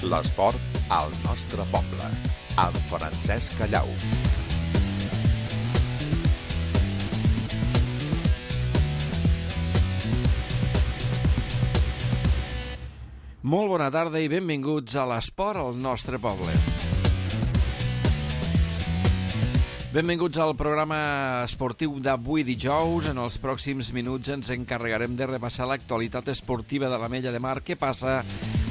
L'esport al nostre poble, amb Francesc Callau. Molt bona tarda i benvinguts a l'esport al nostre poble. Benvinguts al programa esportiu d'avui dijous. En els pròxims minuts ens encarregarem de repassar l'actualitat esportiva de l'Ametlla de Mar. Què passa?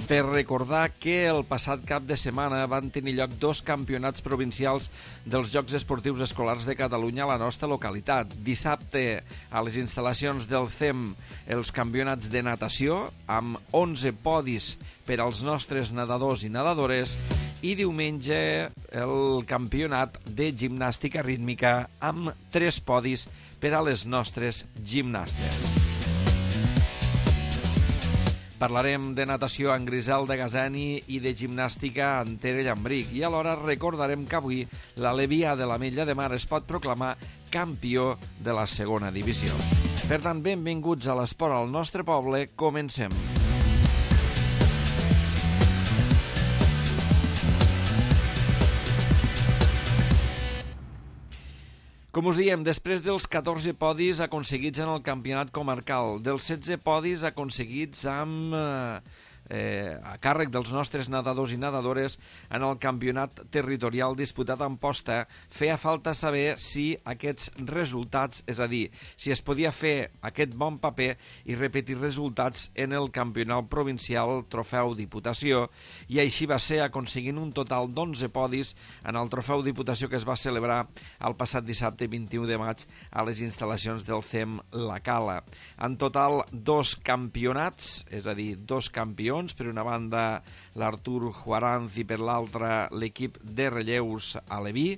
Per recordar que el passat cap de setmana van tenir lloc 2 campionats provincials dels Jocs Esportius Escolars de Catalunya a la nostra localitat. Dissabte, a les instal·lacions del CEM, els campionats de natació, amb 11 podis per als nostres nedadors i nedadores, i diumenge el campionat de gimnàstica rítmica amb 3 podis per a les nostres gimnastes. Parlarem de natació en Griselda Gazani i de gimnàstica en Tere Llambric. I alhora recordarem que avui l'Alevià de l'Ametlla de Mar es pot proclamar campió de la segona divisió. Per tant, benvinguts a l'esport al nostre poble. Comencem. Com us diem, després dels 14 podis aconseguits en el campionat comarcal, dels 16 podis aconseguits a càrrec dels nostres nedadors i nedadores en el campionat territorial disputat a Amposta, feia falta saber si aquests resultats, és a dir, si es podia fer aquest bon paper i repetir resultats en el campionat provincial Trofeu Diputació, i així va ser, aconseguint un total d'11 podis en el Trofeu Diputació que es va celebrar el passat dissabte 21 de maig a les instal·lacions del CEM La Cala. En total, 2 campionats, és a dir, 2 campions, per una banda l'Artur Juaranz i per l'altra l'equip de relleus aleví,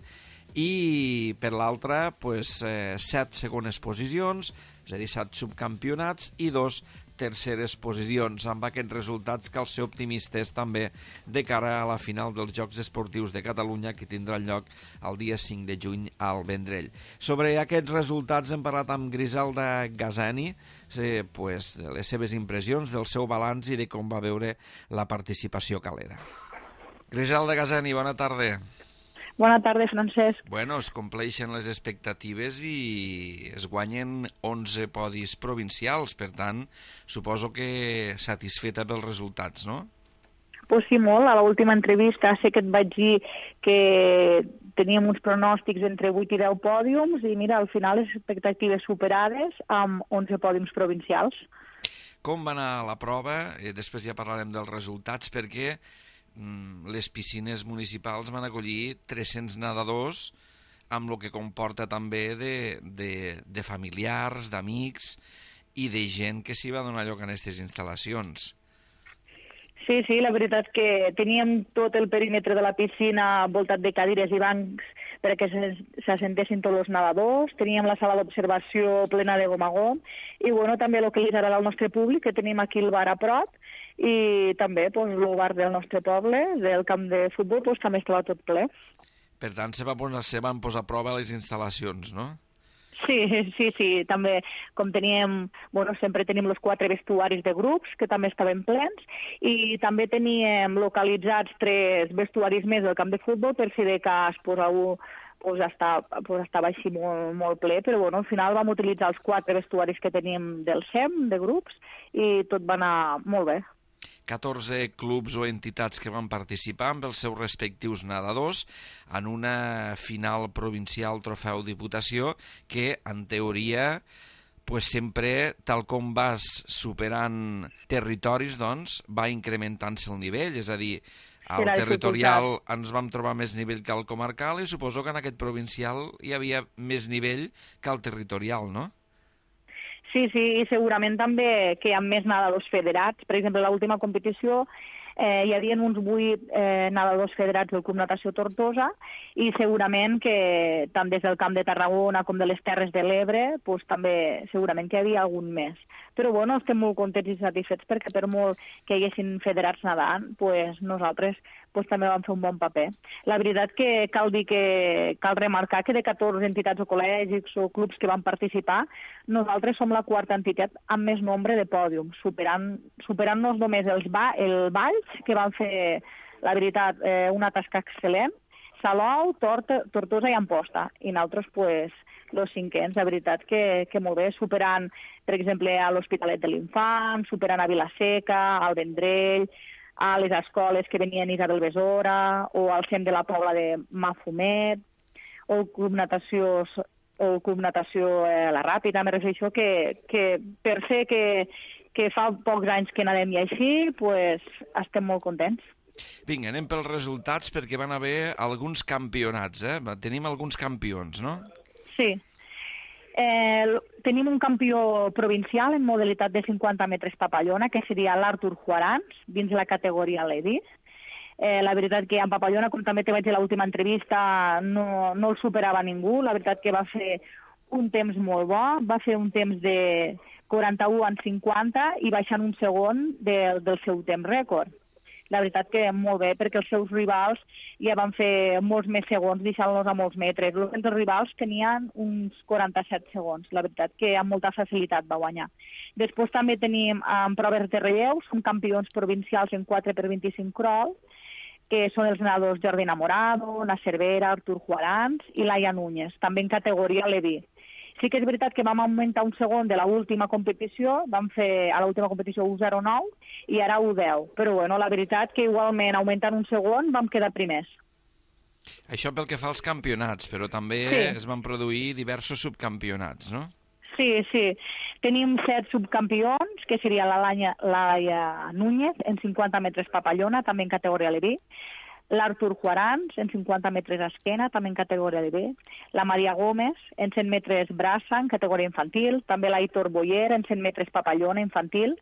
i per l'altra 7 segones posicions, és a dir, 7 subcampionats i 2 terceres posicions. Amb aquests resultats cal ser optimistes també de cara a la final dels Jocs Esportius de Catalunya, que tindrà lloc el dia 5 de juny al Vendrell. Sobre aquests resultats hem parlat amb Griselda Gazani, de les seves impressions, del seu balanç i de com va veure la participació calera. Griselda Gazani, bona tarda. Bona tarda, Francesc. Bueno, es compleixen les expectatives i es guanyen 11 podis provincials, per tant, suposo que satisfeta pels resultats, no? Pues sí, molt. A l'última entrevista sé que et vaig dir que teníem uns pronòstics entre 8 i 10 pòdiums i mira, al final les expectatives superades amb 11 pòdiums provincials. Com va anar la prova? Després ja parlarem dels resultats, perquè les piscines municipals van acollir 300 nedadors, amb el que comporta també de familiars, d'amics i de gent que s'hi va donar lloc en aquestes instal·lacions. Sí, la veritat que teníem tot el perímetre de la piscina voltat de cadires i bancs perquè s'assentessin tots els nedadors, teníem la sala d'observació plena de gom a gom i també el que li agrada al nostre públic, que tenim aquí el bar a prop, i també el bar del nostre poble, del camp de futbol, també estava tot ple. Per tant, se van posar a prova les instal·lacions, no? Sí, també, com teníem, sempre tenim els 4 vestuaris de grups, que també estaven plens, i també teníem localitzats 3 vestuaris més del camp de futbol, per si de cas algú estava així molt ple, però al final vam utilitzar els 4 vestuaris que teníem del CEM, de grups, i tot va anar molt bé. 14 clubs o entitats que van participar amb els seus respectius nedadors en una final provincial Trofeu Diputació que, en teoria, sempre, tal com vas superant territoris, va incrementant-se el nivell, és a dir, al territorial ens vam trobar més nivell que al comarcal i suposo que en aquest provincial hi havia més nivell que al territorial, no? Sí, i segurament també que hi ha més nedadors federats. Per exemple, a l'última competició hi havia uns 8 nedadors federats del Club Natació Tortosa i segurament que tant des del Camp de Tarragona com de les Terres de l'Ebre també segurament que hi havia algun més. Però estem molt contents i satisfets perquè per molt que hi haguessin federats nedant, nosaltres també vam fer un bon paper. La veritat que cal remarcar que de 14 entitats o col·legis o clubs que van participar, nosaltres som la 4ª entitat amb més nombre de pòdiums, superant-nos només el Valls, que van fer La veritat, una tasca excel·lent. Salou, Tortosa i Amposta. I nosaltres, pues, els cinquens, la veritat que molt bé, superant, per exemple, a l'Hospitalet de l'Infant, superant a Vilaseca, al Vendrell, a les escoles que venien Isabel Besora, o al CEM de la Pobla de Mafumet, o el Club Natació La Ràpida. Me refereixo que per ser que fa pocs anys que nadem i així, pues, estem molt contents. Vinga, anem pels resultats, perquè van haver alguns campionats, Tenim alguns campions, no? Sí. Tenim un campió provincial en modalitat de 50 metres papallona, que seria l'Artur Juarans, dins la categoria Lady. La veritat que en papallona, com també te vaig dir a l'última entrevista, no el superava ningú. La veritat que va fer un temps molt bo, va fer un temps de 41 en 50 i baixant un segon del seu temps rècord. La veritat que molt bé, perquè els seus rivals ja van fer molts més segons, deixant-los a molts metres. Els rivals tenien uns 47 segons. La veritat que amb molta facilitat va guanyar. Després també tenim en proves de relleu, som campions provincials en 4x25 crawl, que són els nedadors Jordi Enamorado, Na Cervera, Artur Juarans i Laia Núñez, també en categoria Leví. Sí que és veritat que vam augmentar un segon de l'última competició, vam fer a l'última competició 1.09 i ara 1.10. Però bueno, la veritat que igualment augmentant un segon vam quedar primers. Això pel que fa als campionats, però també es van produir diversos subcampionats, no? Sí. Tenim 7 subcampions, que seria la Laia Núñez en 50 metres papallona, també en categoria Leví, l'Artur Juarans en 50 metres esquena, també en categoria de B, la Maria Gómez en 100 metres braça, en categoria infantil, també l'Aitor Boyer en 100 metres papallona infantil,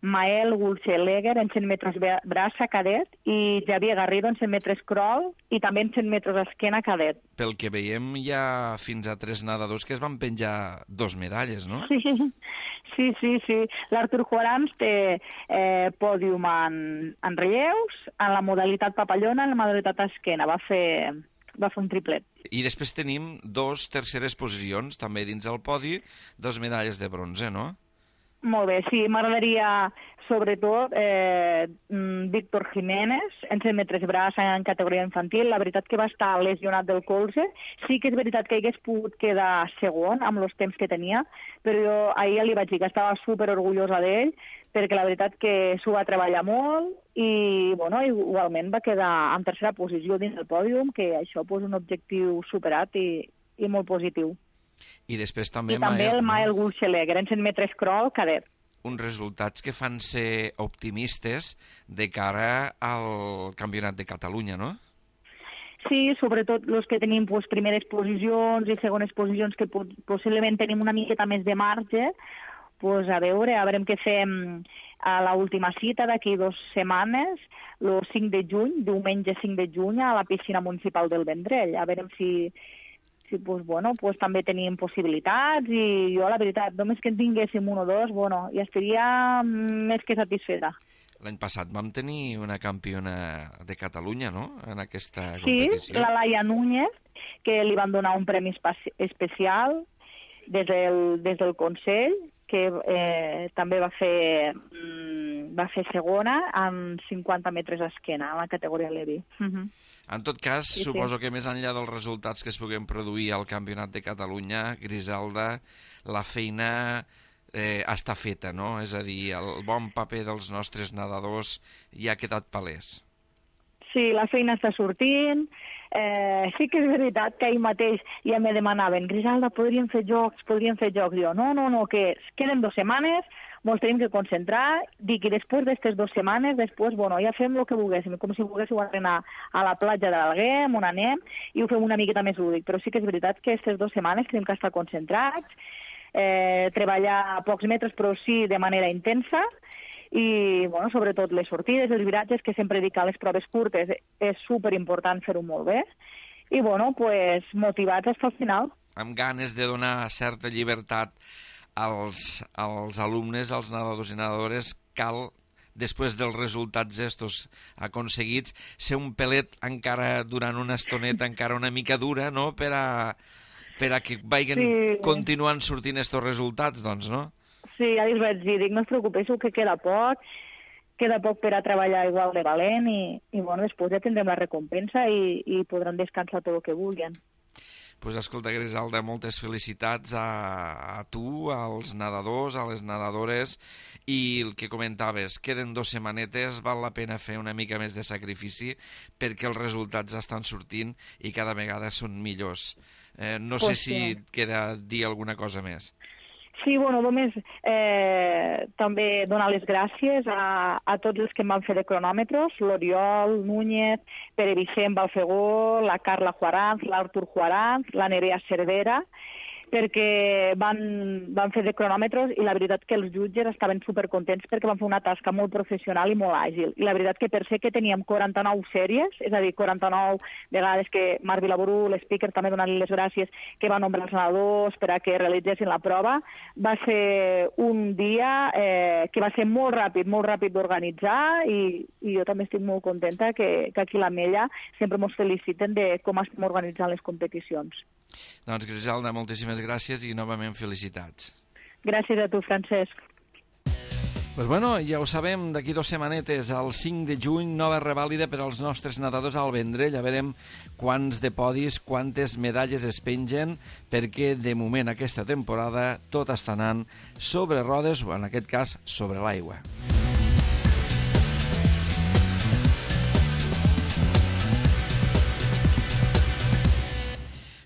Mael Gulcheleger en 100 metres braça cadet i Javier Garrido en 100 metres crawl i també en 100 metres esquena cadet. Pel que veiem hi ha fins a 3 nedadors que es van penjar 2 medalles, no? Sí. L'Artur Juarans té pòdium en relleus, en la modalitat papallona, en la modalitat esquena. Va fer un triplet. I després tenim 2 terceres posicions, també dins el podi, 2 medalles de bronze, no? Molt bé, sí, m'agradaria sobretot Víctor Jiménez en 100 metres braç en categoria infantil. La veritat que va estar lesionat del colze. Sí que és veritat que hagués pogut quedar segon amb els temps que tenia, però jo ahir li vaig dir que estava superorgullosa d'ell perquè la veritat que s'ho va treballar molt i bueno, igualment va quedar en tercera posició dins del pòdium, que això és un objectiu superat i molt positiu. I després també el Mael Gulcheleger en 100 metres crawl cadet. Uns resultats que fan ser optimistes de cara al Campionat de Catalunya, no? Sí, sobretot els que tenim primeres posicions i segones posicions que possiblement tenim una miqueta més de marge, a veure què fem a l'última cita d'aquí 2 setmanes, el 5 de juny, diumenge 5 de juny, a la piscina municipal del Vendrell. A veure si també tenim possibilitats i jo, la veritat, només que en tinguéssim 1 o 2, ja estaria més que satisfeta. L'any passat vam tenir una campiona de Catalunya, no?, en aquesta competició. Sí, la Laia Núñez, que li van donar un premi especial des del Consell, que també va fer segona en 50 metres esquena, en la categoria Levi. En tot cas, suposo que més enllà dels resultats que es puguin produir al Campionat de Catalunya, Griselda, la feina està feta, no? És a dir, el bon paper dels nostres nedadors ja ha quedat palès. Sí, la feina està sortint. Sí que és veritat que ahir mateix ja me demanaven Griselda, podríem fer jocs. Jo, no, que queden 2 setmanes, ens tenim que concentrar, dic, i després d'aquestes 2 setmanes, ja fem el que volguéssim, com si volguéssiu anar a la platja de l'Alguem, on anem, i ho fem una miqueta més lúdic. Però sí que és veritat que aquestes 2 setmanes tenim que estar concentrats, treballar a pocs metres, però sí de manera intensa, i sobretot les sortides, els viratges, que sempre dic que a les proves curtes és superimportant fer-ho molt bé, i motivats fins al final. Amb ganes de donar certa llibertat als alumnes, als nedadors i nedadores, cal, després dels resultats estos aconseguits, ser un pelet encara durant una estoneta, encara una mica dura, no?, per a que vagin continuant sortint estos resultats, doncs, no? Sí, ja els vaig dir, no us preocupéssiu que queda poc, queda poc per a treballar igual de valent i bueno, després ja tindrem la recompensa i podran descansar tot el que vulguin. Pues escolta, Griselda, moltes felicitats a tu, als nedadors, a les nedadores, i el que comentaves, queden 2 setmanetes, val la pena fer una mica més de sacrifici perquè els resultats estan sortint i cada vegada són millors. No sé si et queda dir alguna cosa més. Sí, bueno, només també donar les gràcies a tots els que em van fer de cronòmetres, l'Oriol Núñez, Pere Vicent Balfegó, la Carla Juaranz, l'Artur Juaranz, la Nerea Cervera, perquè van fer de cronòmetres i la veritat que els jutges estaven supercontents perquè van fer una tasca molt professional i molt àgil. I la veritat que per ser que teníem 49 sèries, és a dir, 49 vegades que Marc Vilaború, l'speaker, també donant-li les gràcies, que va nombrar els nedadors per a que realitzessin la prova, va ser un dia que va ser molt ràpid d'organitzar i jo també estic molt contenta que aquí a l'Ametlla sempre ens feliciten de com estem organitzant les competicions. Doncs, Griselda, moltíssimes gràcies i novament felicitats. Gràcies a tu, Francesc. Pues bueno, ja ho sabem, d'aquí 2 setmanetes, el 5 de juny, nova revàlida per als nostres nedadors al Vendrell. Ja veurem quants de podis, quantes medalles es pengen, perquè de moment aquesta temporada tot està anant sobre rodes, o en aquest cas sobre l'aigua.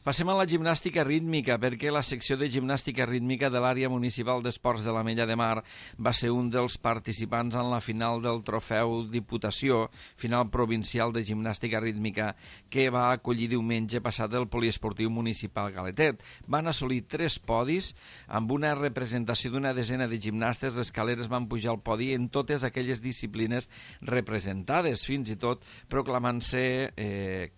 Passem a la gimnàstica rítmica, perquè la secció de gimnàstica rítmica de l'àrea municipal d'esports de l'Ametlla de Mar va ser un dels participants en la final del trofeu Diputació, final provincial de gimnàstica rítmica, que va acollir diumenge passat el poliesportiu municipal Galetet. Van assolir 3 podis, amb una representació d'una desena de gimnastes. Les caleres van pujar al podi en totes aquelles disciplines representades, fins i tot proclamant-se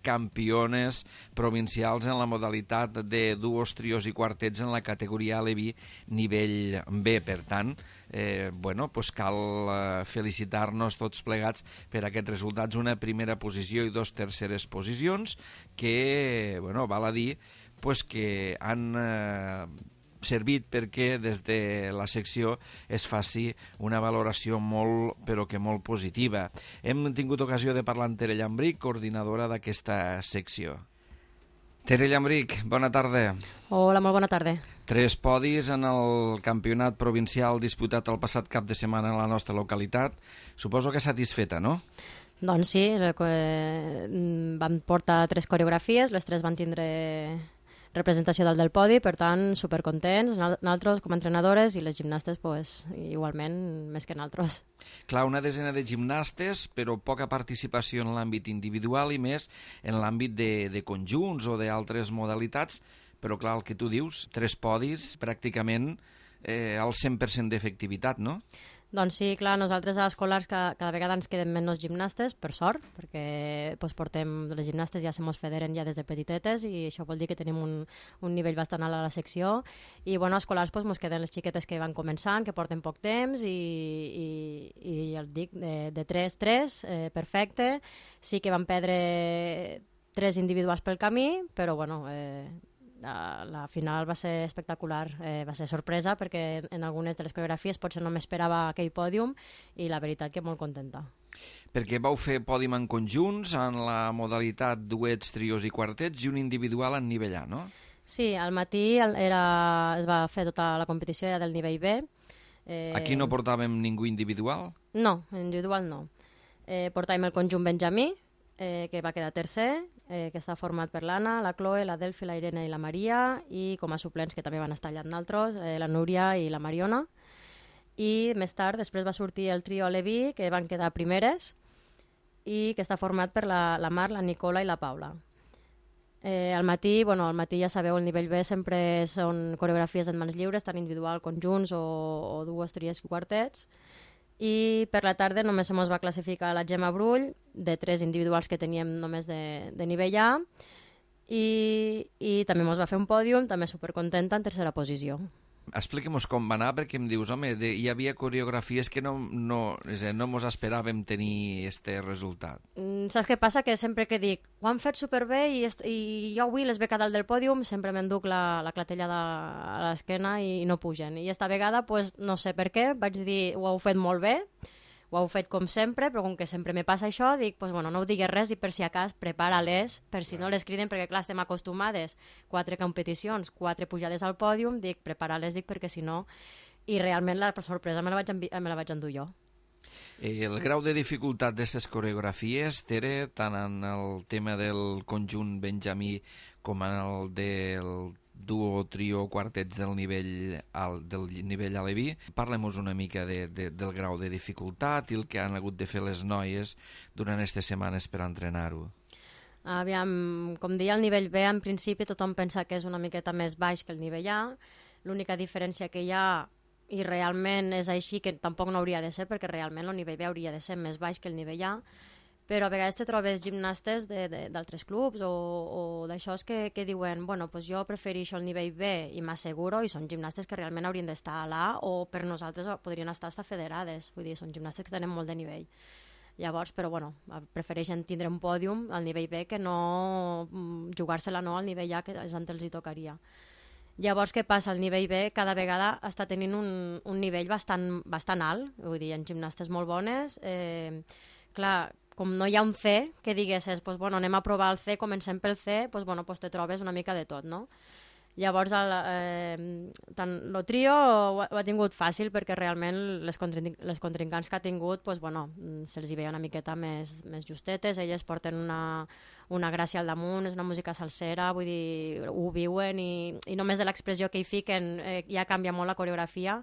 campiones provincials en la modalitat de duos, trios i quartets en la categoria Aleví nivell B. Per tant, cal felicitar-nos tots plegats per aquests resultats. Una primera posició i 2 terceres posicions que, val a dir, que han servit perquè des de la secció es faci una valoració molt, però que molt positiva. Hem tingut ocasió de parlar amb Tere Llambric, coordinadora d'aquesta secció. Tere Llambric, bona tarda. Hola, molt bona tarda. 3 podis en el campionat provincial disputat el passat cap de setmana a la nostra localitat. Suposo que satisfeta, no? Doncs sí, vam portar 3 coreografies, les 3 van tindre representació dalt del podi, per tant, supercontents, nosaltres com a entrenadores i les gimnastes, igualment, més que nosaltres. Clar, una desena de gimnastes, però poca participació en l'àmbit individual i més en l'àmbit de conjunts o d'altres modalitats, però clar, el que tu dius, 3 podis, pràcticament al 100% d'efectivitat, no? Doncs sí, clar, nosaltres a escolars cada vegada ens queden menys gimnastes, per sort, perquè les gimnastes ja se mos federen ja des de petitetes i això vol dir que tenim un nivell bastant alt a la secció i a escolars mos queden les xiquetes que van començant, que porten poc temps i ja et dic, de 3, perfecte. Sí que van perdre 3 individuals pel camí, però la final va ser espectacular, va ser sorpresa perquè en algunes de les coreografies potser no m'esperava aquell pòdium i la veritat que molt contenta. Perquè vau fer pòdium en conjunts, en la modalitat duets, trios i quartets i un individual en nivell A, no? Sí, al matí es va fer tota la competició, era del nivell B. Aquí no portàvem ningú individual? No, individual no. Portàvem el conjunt Benjamí, que va quedar tercer, que està format per l'Anna, la Chloe, la Delphi, la Irene i la Maria, i com a suplents que també van estar allà amb nosaltres, la Núria i la Mariona. I més tard, després va sortir el trio Aleví, que van quedar primeres, i que està format per la Mar, la Nicola i la Paula. Al matí ja sabeu, el nivell B sempre són coreografies en mans lliures, tant individual, conjunts o duos, tries i quartets. I per la tarda només se mos va classificar la Gemma Brull, de 3 individuals que teníem només de nivell A, i també mos va fer un pòdium, també supercontenta, en tercera posició. Expliquem-nos com va anar, perquè em dius, home, hi havia coreografies que no mos esperàvem tenir este resultat. Saps què passa? Que sempre que dic, ho han fet superbé i jo avui les veig a dalt del pòdium, sempre m'enduc la clatellada a l'esquena i no pugen. I esta vegada, no sé per què, vaig dir, ho heu fet molt bé, ho Ho heu fet com sempre, però com que sempre me passa això, dic, pues, bueno, no ho digues res i per si acas prepara-les, per si no les criden, perquè clar, estem acostumades, 4 competicions, 4 pujades al pòdium, dic, prepara-les, dic, perquè si no... I realment la sorpresa me la vaig endur jo. El grau de dificultat d'aquestes coreografies, Tere, tant en el tema del conjunt benjamí com en el del duo, trio, quartets del nivell aleví. Parlem-nos una mica del grau de dificultat i el que han hagut de fer les noies durant aquestes setmanes per entrenar-ho. Aviam, com deia, el nivell B, en principi tothom pensa que és una miqueta més baix que el nivell A. L'única diferència que hi ha, i realment és així, que tampoc no hauria de ser, perquè realment el nivell B hauria de ser més baix que el nivell A, però a vegades te trobes gimnastes d'altres clubs o d'això que diuen, bueno, pues jo prefereixo el nivell B i m'asseguro, i són gimnastes que realment haurien d'estar a l'A o per nosaltres podrien estar federades, vull dir, són gimnastes que tenen molt de nivell. Llavors, però bueno, prefereixen tindre un pòdium al nivell B que no jugar-se-la no al nivell A, que és on els hi tocaria. Llavors, què passa? El nivell B cada vegada està tenint un nivell bastant alt, vull dir, hi ha gimnastes molt bones. Clar, com no hi ha un C, que diguessis, pues, bueno, anem a provar el C, comencem pel C, pues, bueno, pues, te trobes una mica de tot, no? Llavors, tant el trio ho ha tingut fàcil perquè realment les contrincants que ha tingut, pues, bueno, se'ls hi veia una miqueta més justetes, elles porten una gràcia al damunt, és una música salsera, vull dir, ho viuen i només de l'expressió que hi fiquen ja canvia molt la coreografia.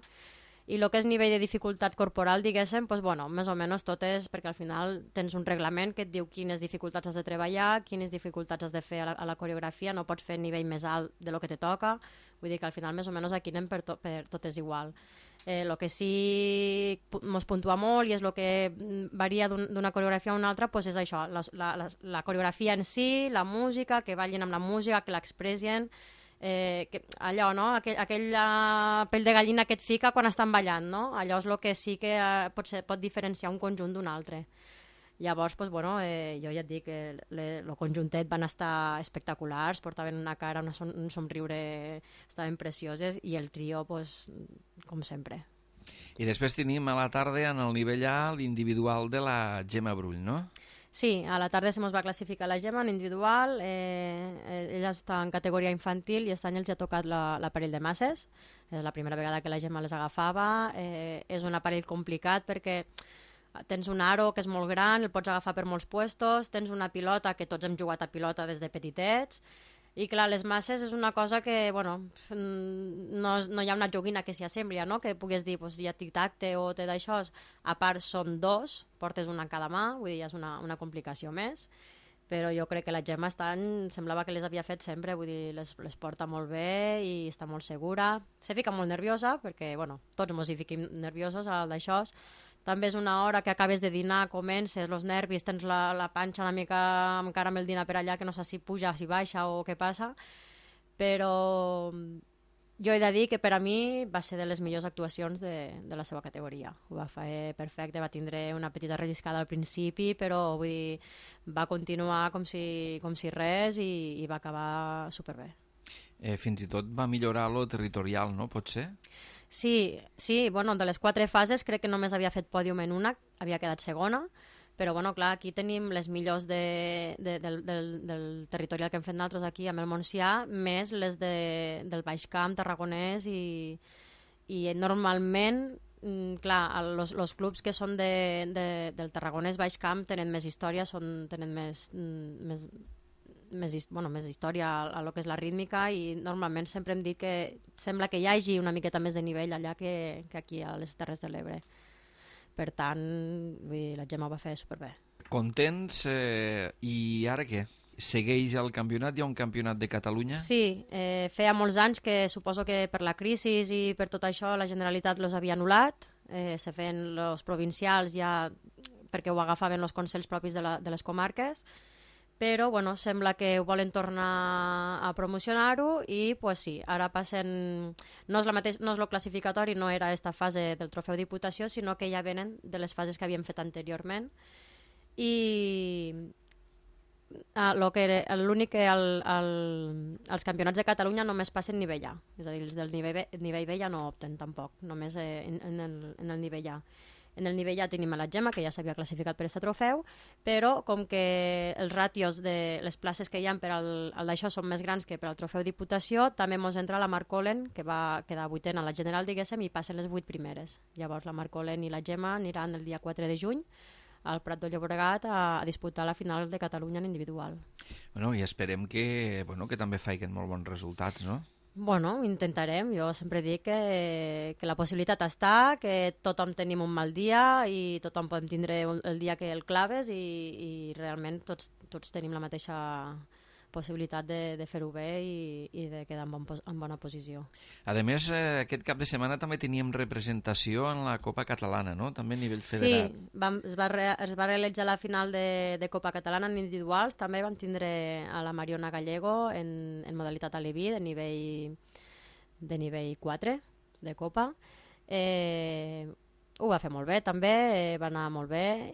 I el que és nivell de dificultat corporal, diguéssim, doncs, bueno, més o menys tot és, perquè al final tens un reglament que et diu quines dificultats has de treballar, quines dificultats has de fer a la coreografia, no pots fer nivell més alt de lo que te toca, vull dir que al final més o menys aquí anem per tot és igual. El que sí ens puntua molt i és el que varia d'una coreografia a una altra, doncs és això, la coreografia en si, la música, que ballin amb la música, que l'expressin, allò, no? Aquella pell de gallina que et fica quan estan ballant, no? Allò és el que sí que pot diferenciar un conjunt d'un altre. Llavors, doncs, bueno, jo ja et dic que el conjuntet van estar espectaculars, portaven una cara, un somriure, estaven precioses, i el trio, doncs, com sempre. I després tenim a la tarda, en el nivell A, l'individual de la Gemma Brull, no? Sí, a la tarda se mos va classificar la Gemma en individual, ella està en categoria infantil i aquest any els ha tocat l'aparell de masses, és la primera vegada que la Gemma les agafava, és un aparell complicat perquè tens un aro que és molt gran, el pots agafar per molts puestos, tens una pilota, que tots hem jugat a pilota des de petitets, i clar, les masses és una cosa que, bueno, no hi ha una joguina que s'hi assembli, no? Que puguis dir, pues, ja tic-tac-te o té d'això, a part són dos, portes una a cada mà, vull dir, ja és una complicació més, però jo crec que la Gemma semblava que les havia fet sempre, vull dir, les porta molt bé i està molt segura, se fica molt nerviosa, perquè, bueno, tots ens hi fiquem nerviosos d'això. També és una hora que acabes de dinar, comences, els nervis, tens la panxa una mica encara amb el dinar per allà, que no sé si puja, si baixa o què passa, però jo he de dir que per a mi va ser de les millors actuacions de la seva categoria. Ho va fer perfecte, va tindre una petita relliscada al principi, però vull dir, va continuar com si res i va acabar superbé. Fins i tot va millorar lo territorial, no? Pot ser? Sí, bueno, de les 4 fases crec que només havia fet pòdium en una, havia quedat segona, però bueno, clar, aquí tenim les millors del territorial que hem fet nosaltres aquí amb el Montsià, més les del Baix Camp, Tarragonès, i normalment, clar, els clubs que són del Tarragonès Baix Camp tenen més història, tenen més història a lo que és la rítmica, i normalment sempre hem dit que sembla que hi hagi una miqueta més de nivell allà que aquí a les Terres de l'Ebre. Per tant, la Gemma ho va fer superbé. Contents, i ara què? Segueix el campionat? Hi ha un campionat de Catalunya? Sí, feia molts anys que suposo que per la crisi i per tot això la Generalitat los havia anul·lat, se feien els provincials ja perquè ho agafaven els consells propis de les comarques, però bueno, sembla que ho volen tornar a promocionar-ho i pues sí, ara passen, no és el classificatori, no era aquesta fase del trofeu Diputació, sinó que ja venen de les fases que havíem fet anteriorment, i l'únic que els campionats de Catalunya només passen nivell A, és a dir, els del nivell B ja no opten tampoc, només en el nivell A. En el nivell ja tenim a la Gemma, que ja s'havia classificat per aquest trofeu, però com que els ràtios de les places que hi ha per al d'això són més grans que per al trofeu Diputació, també mos entra la Marc Olen, que va quedar 8ena a la general, diguéssim, i passen les 8 primeres. Llavors la Marc Olen i la Gemma aniran el dia 4 de juny al Prat de Llobregat a disputar la final de Catalunya en individual. Bueno, i esperem que també facin molt bons resultats, no? Bueno, intentarem. Jo sempre dic que la possibilitat està, que tothom tenim un mal dia i tothom podem tindre el dia que el claves i realment tots tenim la mateixa possibilitat de fer-ho bé i de quedar en bona posició. A més, aquest cap de setmana també teníem representació en la Copa Catalana, no? També a nivell federat. Sí, es va realitzar la final de Copa Catalana en individuals, també van tindre a la Mariona Gallego en modalitat aleví de nivell 4 de Copa. Ho va fer molt bé també, va anar molt bé,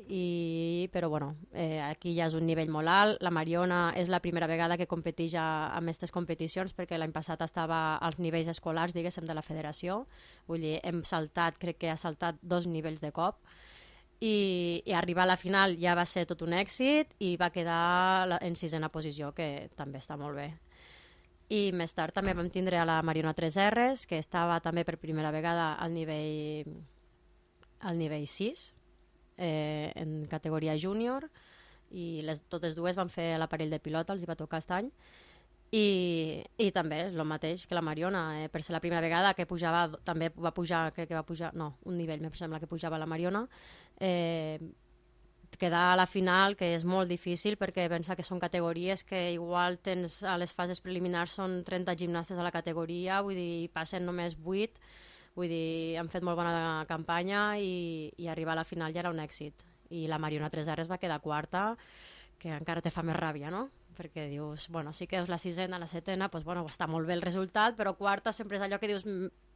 però bueno, aquí ja és un nivell molt alt. La Mariona és la primera vegada que competeix en aquestes competicions, perquè l'any passat estava als nivells escolars, diguéssim, de la federació. Vull dir, crec que ha saltat 2 nivells de cop, i arribar a la final ja va ser tot un èxit i va quedar en 6ena posició, que també està molt bé. I més tard també vam tindre a la Mariona 3Rs, que estava també per primera vegada al nivell 6, en categoria júnior, i totes dues van fer l'aparell de pilota, els hi va tocar aquest any, i també és el mateix que la Mariona, per ser la primera vegada que pujava, també va pujar, crec que va pujar, no, un nivell, em sembla que pujava la Mariona, quedar a la final, que és molt difícil, perquè pensa que són categories que igual tens a les fases preliminars són 30 gimnastes a la categoria, vull dir, passen només 8. Vull dir, han fet molt bona campanya i arribar a la final ja era un èxit. I la Mariona 3Rs va quedar 4ª, que encara te fa més ràbia, no? Perquè dius, bueno, sí que és la 6ena, la 7ena, doncs bueno, està molt bé el resultat, però 4ª sempre és allò que dius,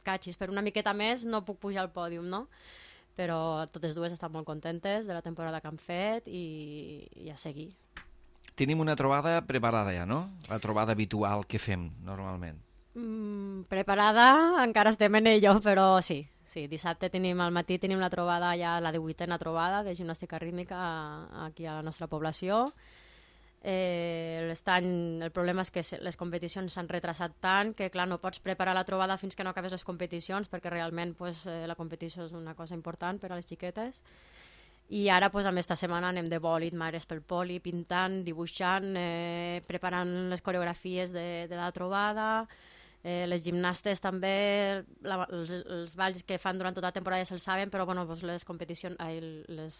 catxis, per una miqueta més no puc pujar al pòdium, no? Però totes dues estan molt contentes de la temporada que han fet i a seguir. Tenim una trobada preparada ja, no? La trobada habitual que fem normalment. Preparada, encara estem en ello, però sí, dissabte al matí tenim la trobada, ja la 18ª trobada de gimnàstica rítmica aquí a la nostra població. El problema és que les competicions s'han retrasat tant que clar, no pots preparar la trobada fins que no acabes les competicions, perquè realment la competició és una cosa important per a les xiquetes. I ara amb aquesta setmana anem de bòlit, mares pel poli, pintant, dibuixant, preparant les coreografies de la trobada. Les gimnastes també, els balls que fan durant tota la temporada ja se'ls saben, però bueno, les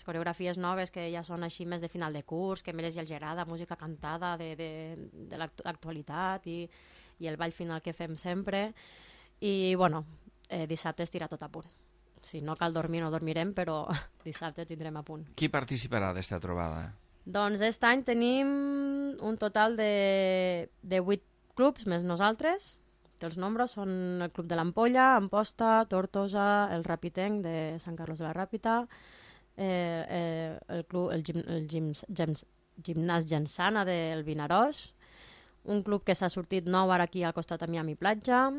coreografies noves que ja són així més de final de curs, que més ja els agrada, música cantada de l'actualitat i el ball final que fem sempre. I bueno, dissabte es tira tot a punt. Si no cal dormir, no dormirem, però dissabte tindrem a punt. Qui participarà d'esta trobada? Doncs aquest any tenim un total de 8 clubs, més nosaltres, que els nombres són el Club de l'Ampolla, Amposta, Tortosa, el Rapitenc de Sant Carlos de la Ràpita, el Gimnàs Jansana del Vinaròs, un club que s'ha sortit nou ara aquí al costat de Miami Platja,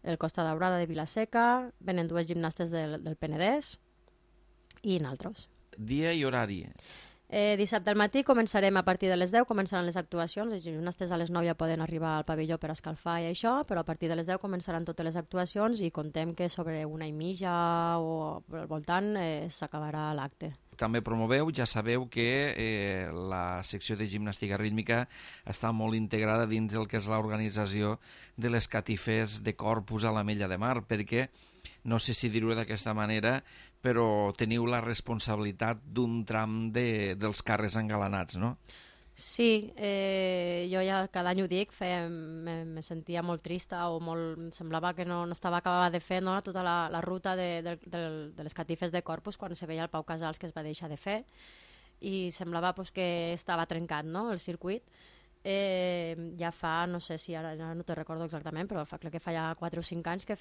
el Costa Daurada de Vilaseca, venen 2 gimnastes del Penedès i naltros. Dia i horari? Dissabte al matí començarem a partir de les 10, començaran les actuacions, els gimnastes a les 9 ja poden arribar al pavelló per escalfar i això, però a partir de les 10 començaran totes les actuacions i contem que sobre 1:30 o al voltant s'acabarà l'acte. També promoveu, ja sabeu que la secció de gimnàstica rítmica està molt integrada dins del que és l'organització de les catifes de Corpus a l'Ametlla de Mar, perquè, no sé si dir-ho d'aquesta manera, però teniu la responsabilitat d'un tram dels carrers engalanats, no? Sí, jo ja cada any ho dic, me sentia molt trista o em semblava que no estava acabada de fer tota la ruta de les catifes de Corpus quan se veia el Pau Casals que es va deixar de fer i semblava que estava trencat el circuit. Ja fa, no sé si ara no te recordo exactament, però crec que fa ja 4 o 5 anys que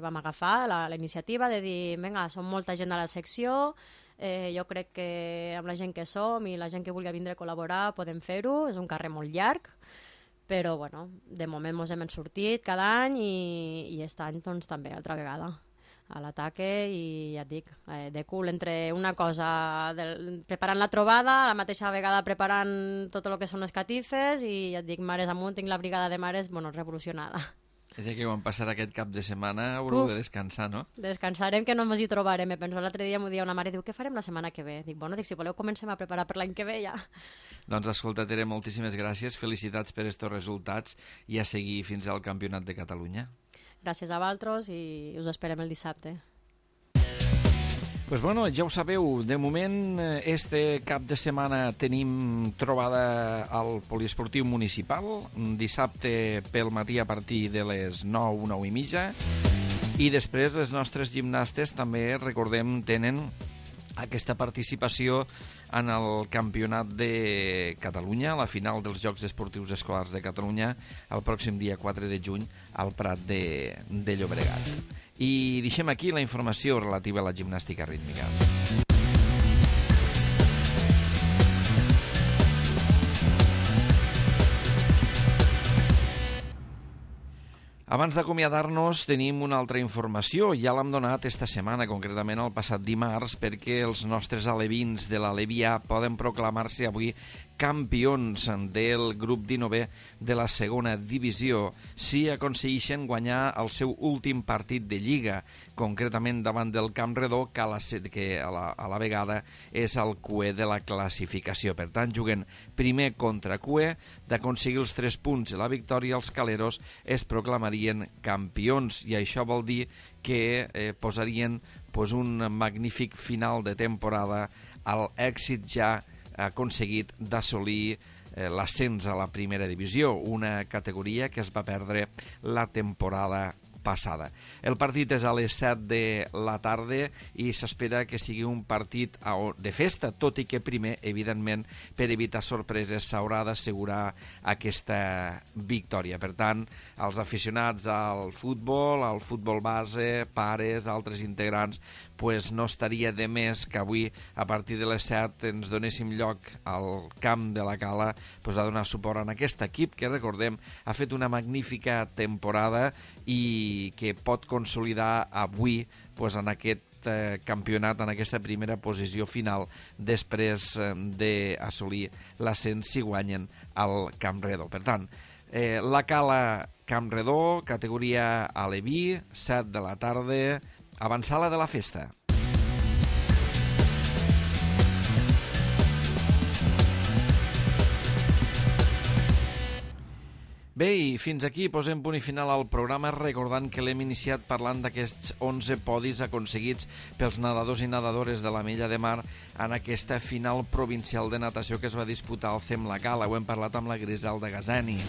vam agafar la iniciativa de dir, vinga, som molta gent a la secció, jo crec que amb la gent que som i la gent que vulgui vindre a col·laborar podem fer-ho, és un carrer molt llarg, però bueno, de moment ens hem sortit cada any i aquest any doncs també, altra vegada. a l'ataque i ja et dic, de cul entre una cosa, preparant la trobada, a la mateixa vegada preparant tot el que són les catifes i ja et dic, mares amunt, tinc la brigada de mares, bueno, revolucionada. És que quan passarà aquest cap de setmana haureu de descansar, no? Descansarem que no ens hi trobarem. Penso l'altre dia m'ho dia una mare, diu, què farem la setmana que ve? Dic, bueno, si voleu comencem a preparar per l'any que ve ja. Doncs escolta, Tere, moltíssimes gràcies, felicitats per estos resultats i a seguir fins al Campionat de Catalunya. Gràcies a vosaltres i us esperem el dissabte. Pues bueno, ja ho sabeu, de moment este cap de setmana tenim trobada al Poliesportiu Municipal, dissabte pel matí a partir de les 9, 9 i mitja, i després les nostres gimnastes també, recordem, tenen aquesta participació en el Campionat de Catalunya, la final dels Jocs Esportius Escolars de Catalunya, el pròxim dia 4 de juny al Prat de Llobregat. I deixem aquí la informació relativa a la gimnàstica rítmica. Abans d'acomiadar-nos tenim una altra informació, ja l'hem donat esta setmana, concretament el passat dimarts, perquè els nostres alevins de l'Alevià poden proclamar-se avui campions del grup 19 de la segona divisió si aconsegueixen guanyar el seu últim partit de Lliga, concretament davant del Campredó, que a la vegada és el cué de la classificació. Per tant, juguen primer contra cué, d'aconseguir els 3 punts i la victòria, els caleros es proclamarien campions, i això vol dir que posarien un magnífic final de temporada a l'èxit ja aconseguit d'assolir l'ascens a la primera divisió, una categoria que es va perdre la temporada passada. El partit és a les 7 de la tarda i s'espera que sigui un partit de festa, tot i que primer, evidentment, per evitar sorpreses, s'haurà d'assegurar aquesta victòria. Per tant, els aficionats al futbol base, pares, altres integrants, pues no estaria de més que avui, a partir de les 7, ens donéssim lloc al camp de la Cala a donar suport a aquest equip que, recordem, ha fet una magnífica temporada i que pot consolidar avui en aquest campionat, en aquesta primera posició final, després d'assolir l'ascens si guanyen al Campredó. Per tant, la Cala Campredó, categoria aleví, 7 de la tarda, avançada de la festa. Bé, i fins aquí posem punt i final al programa, recordant que l'hem iniciat parlant d'aquests 11 podis aconseguits pels nedadors i nedadores de la Mella de Mar en aquesta final provincial de natació que es va disputar al CEM La Cala. Ho hem parlat amb la Griselda Gazani.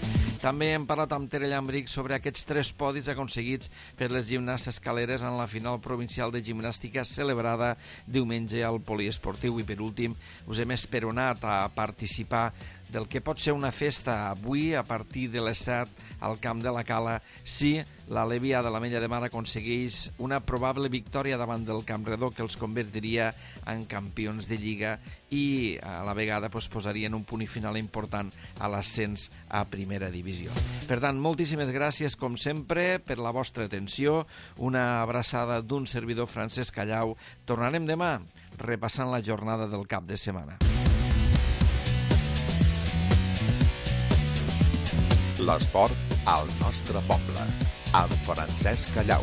També hem parlat amb Tere Llambric sobre aquests 3 podis aconseguits per les gimnastes caleres en la final provincial de gimnàstica celebrada diumenge al Poliesportiu. I per últim, us hem esperonat a participar del que pot ser una festa avui a partir de les 7 al camp de la Cala si l'Alevià de la Mella de Mar aconsegueix una probable victòria davant del Campredó que els convertiria en campions de Lliga i a la vegada posarien un punt i final important a l'ascens a primera divisió. Per tant, moltíssimes gràcies com sempre per la vostra atenció, una abraçada d'un servidor Francesc Callau. Tornarem demà repassant la jornada del cap de setmana. L'esport al nostre poble, amb Francesc Callau.